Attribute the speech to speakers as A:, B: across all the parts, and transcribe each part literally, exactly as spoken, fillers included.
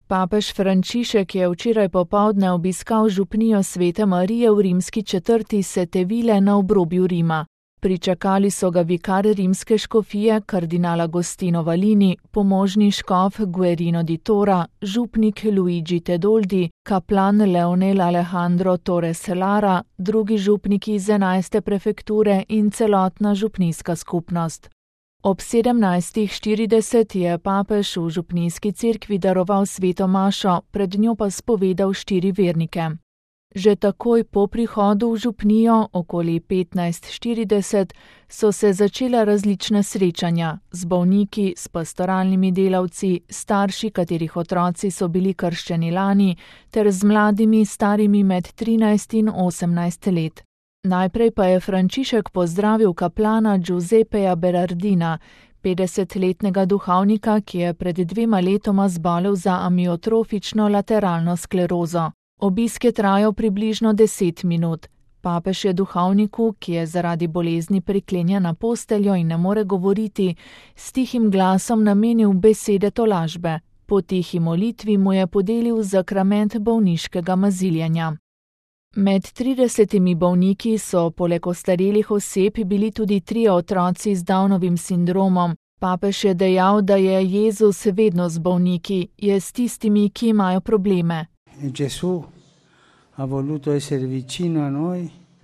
A: Papež Frančišek je včeraj popoldne obiskal župnijo Svete Marije v rimski četrti Setevile na obrobju Rima. Pričakali so ga vikar rimske škofije kardinal Agostino Valini, pomožni škof Guerino di Tora, župnik Luigi Tedoldi, kaplan Leonel Alejandro Torres Lara, drugi župniki iz enajste prefekture in celotna župnijska skupnost. Ob sedemnajstih štirideset je papež v župnijski cerkvi daroval sveto mašo, pred njo pa spovedal štiri vernike. Že takoj po prihodu v župnijo, okoli petnajst štirideset, so se začela različna srečanja z bolniki, s pastoralnimi delavci, starši, katerih otroci so bili krščeni lani, ter z mladimi, starimi med trinajst in osemnajst let. Najprej pa je Frančišek pozdravil kaplana Giuseppeja Berardina, petdesetletnega duhovnika, ki je pred dvema letoma zbolel za amiotrofično lateralno sklerozo. Obisk je trajal približno deset minut. Papež je duhovniku, ki je zaradi bolezni priklenjen na posteljo in ne more govoriti, s tihim glasom namenil besede tolažbe. Po tihi molitvi mu je podelil zakrament bolniškega maziljenja. Med tridesetimi bolniki so poleg ostarelih oseb bili tudi trije otroci z Downovim sindromom. Papež je dejal, da je Jezus vedno z bolniki, je s tistimi, ki imajo probleme.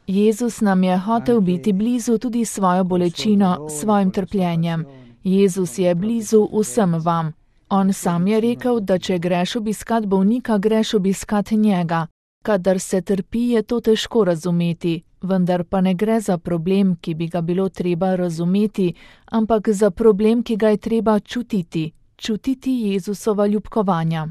A: Jezus nam je hotel biti blizu tudi svojo bolečino, svojim trpljenjem. Jezus je blizu vsem vam. On sam je rekel, da če greš obiskat bolnika, greš obiskat njega. Kadar se trpi, je to težko razumeti, vendar pa ne gre za problem, ki bi ga bilo treba razumeti, ampak za problem, ki ga je treba čutiti, čutiti Jezusova ljubkovanja.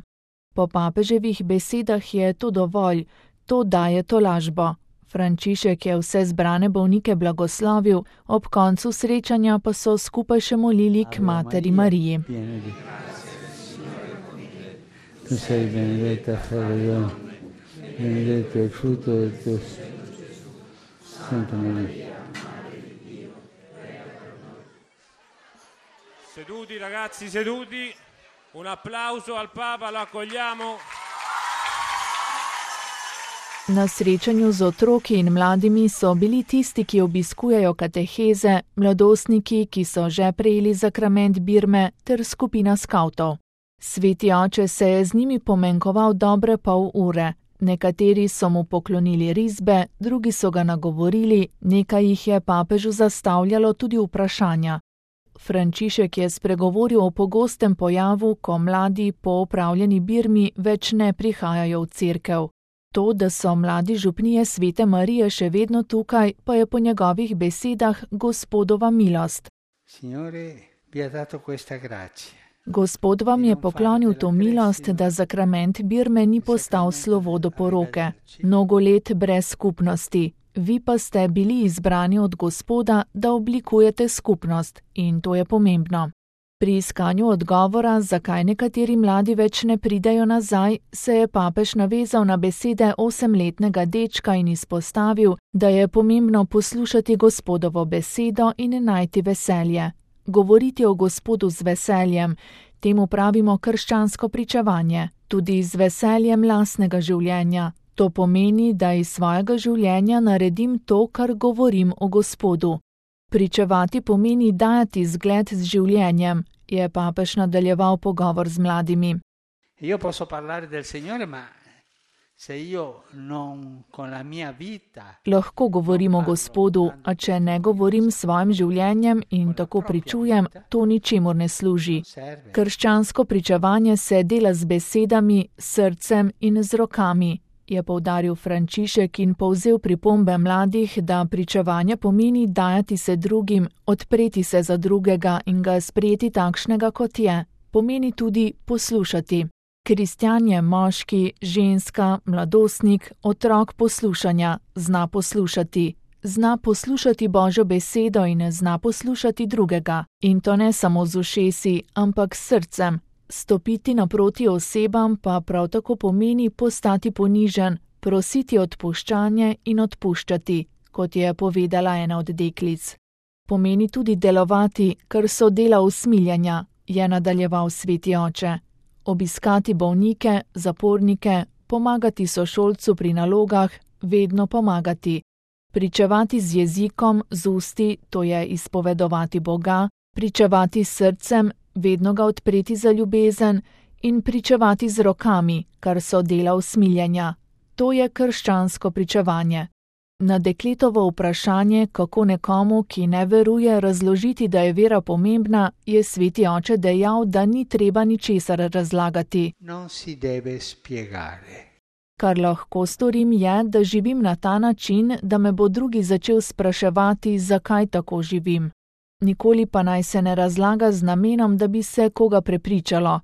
A: Po papeževih besedah je to dovolj, to daje tolažbo. Frančišek je vse zbrane bolnike blagoslovil, ob koncu srečanja pa so skupaj še molili k Materi Mariji.
B: Benedetto è il frutto del tuo Santa Maria.
C: Seduti ragazzi, seduti. Un applauso al Papa, lo accogliamo.
A: Na srečanju z otroki in mladimi so bili tisti, ki obiskujejo kateheze, mladostniki, ki so že prejeli zakrament birme, ter skupina skavtov. Sveti oče se je z njimi pomenkoval dobre pol ure. Nekateri so mu poklonili risbe, drugi so ga nagovorili, nekaj jih je papežu zastavljalo tudi vprašanja. Frančišek je spregovoril o pogostem pojavu, ko mladi po opravljeni birmi več ne prihajajo v cerkev. To, da so mladi župnije Svete Marije še vedno tukaj, pa je po njegovih besedah Gospodova milost.
B: Signore, vi ha dato questa grazia.
A: Gospod vam je poklonil to milost, da zakrament birme ni postal slovo do poroke. Mnogo let brez skupnosti. Vi pa ste bili izbrani od Gospoda, da oblikujete skupnost, in to je pomembno. Pri iskanju odgovora, zakaj nekateri mladi več ne pridejo nazaj, se je papež navezal na besede osemletnega dečka in izpostavil, da je pomembno poslušati Gospodovo besedo in najti veselje. Govoriti o Gospodu z veseljem, temu pravimo krščansko pričevanje, tudi z veseljem lastnega življenja. To pomeni, da iz svojega življenja naredim to, kar govorim o Gospodu. Pričevati pomeni dajati zgled z življenjem, je papež nadaljeval pogovor z mladimi.
B: Io posso parlare del Signore, ma se io non con la mia vita.
A: Lahko govorim o Gospodu, a če ne govorim s svojim življenjem in tako pričujem, to ničemur ne služi. Krščansko pričevanje se dela z besedami, srcem in z rokami, je poudaril Frančišek in povzel pripombe mladih, da pričevanje pomeni dajati se drugim, odpreti se za drugega in ga sprejeti takšnega, kot je. Pomeni tudi poslušati. Kristjan je moški, ženska, mladostnik, otrok poslušanja, zna poslušati. Zna poslušati Božjo besedo in zna poslušati drugega. In to ne samo z ušesi, ampak s srcem. Stopiti naproti osebam pa prav tako pomeni postati ponižen, prositi odpuščanje in odpuščati, kot je povedala ena od deklic. Pomeni tudi delovati, kar so dela usmiljanja, je nadaljeval sveti oče. obiskati bolnike, zapornike, pomagati sošolcu pri nalogah, vedno pomagati, pričevati z jezikom, z usti, to je izpovedovati Boga, pričevati s srcem, vedno ga odpreti za ljubezen in pričevati z rokami, kar so dela usmiljenja. To je krščansko pričevanje. Na dekletovo vprašanje, kako nekomu, ki ne veruje, razložiti, da je vera pomembna, je sveti oče dejal, da ni treba ničesar razlagati.
B: Non si deve spiegare.
A: Kar lahko storim je, da živim na ta način, da me bo drugi začel spraševati, zakaj tako živim. Nikoli pa naj se ne razlaga z namenom, da bi se koga prepričalo.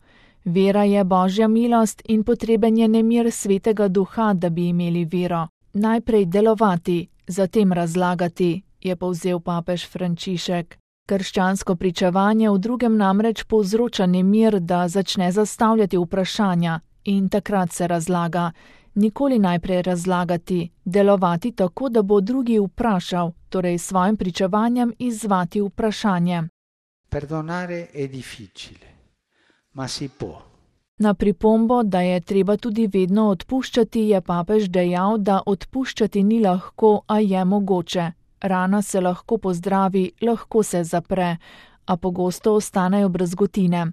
A: Vera je Božja milost in potreben je nemir Svetega Duha, da bi imeli vero. Najprej delovati, zatem razlagati, je povzel papež Frančišek. Krščansko pričevanje v drugem namreč povzroča nemir, da začne zastavljati vprašanja in takrat se razlaga. Nikoli najprej razlagati, delovati tako, da bo drugi vprašal, torej s svojim pričevanjem izzvati vprašanje.
B: Perdonare è difficile, ma si può.
A: Na pripombo, da je treba tudi vedno odpuščati, je papež dejal, da odpuščati ni lahko, a je mogoče. Rana se lahko pozdravi, lahko se zapre, a pogosto ostanejo brazgotine.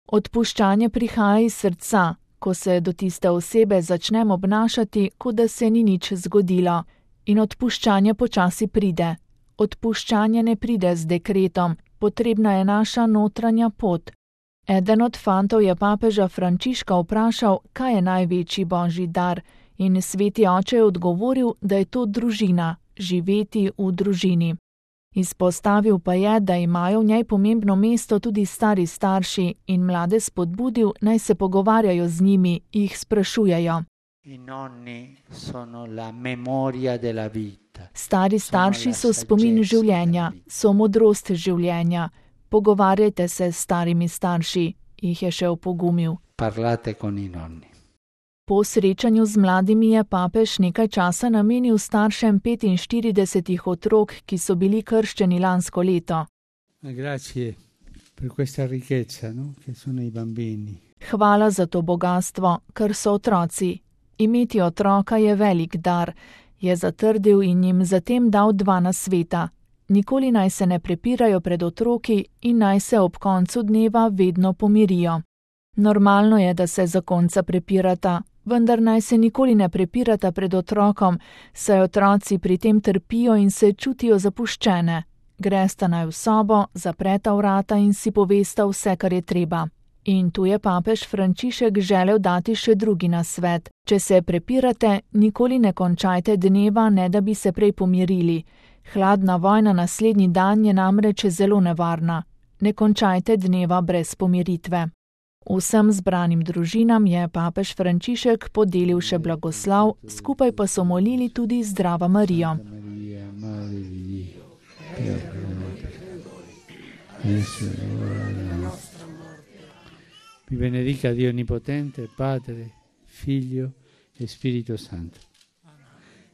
A: Odpuščanje prihaja iz srca, ko se do tiste osebe začnem obnašati, kot da se ni nič zgodilo. In odpuščanje počasi pride. Odpuščanje ne pride z dekretom, potrebna je naša notranja pot. Eden od fantov je papeža Frančiška vprašal, kaj je največji božji dar, in sveti oče je odgovoril, da je to družina, živeti v družini. Izpostavil pa je, da imajo v njej pomembno mesto tudi stari starši in mlade spodbudil, naj se pogovarjajo z njimi, jih sprašujejo. Stari starši so spomin življenja, so modrost življenja. Pogovarjajte se s starimi starši, jih je še opogumil.
B: Parlate con i nonni.
A: Po srečanju z mladimi je papež nekaj časa namenil staršem petinštiridesetih otrok, ki so bili krščeni lansko leto.
B: Grazie per questa ricchezza, no? Che sono i bambini.
A: Hvala za to bogastvo, ker so otroci. Imeti otroka je velik dar, je zatrdil in jim zatem dal dva nasveta. Nikoli naj se ne prepirajo pred otroki in naj se ob koncu dneva vedno pomirijo. Normalno je, da se zakonca prepirata, vendar naj se nikoli ne prepirata pred otrokom, saj otroci pri tem trpijo in se čutijo zapuščene. Gresta naj v sobo, zapreta vrata in si povesta vse, kar je treba. In tu je papež Frančišek želel dati še drugi nasvet. Če se prepirate, nikoli ne končajte dneva, ne da bi se prej pomirili. Hladna vojna naslednji dan je namreč zelo nevarna. Ne končajte dneva brez pomiritve. Vsem zbranim družinam je papež Frančišek podelil še blagoslav, skupaj pa so molili tudi Zdrava Marijo.
B: Vi benedica Dio Onnipotente, Padre, Figlio e Spirito Santo.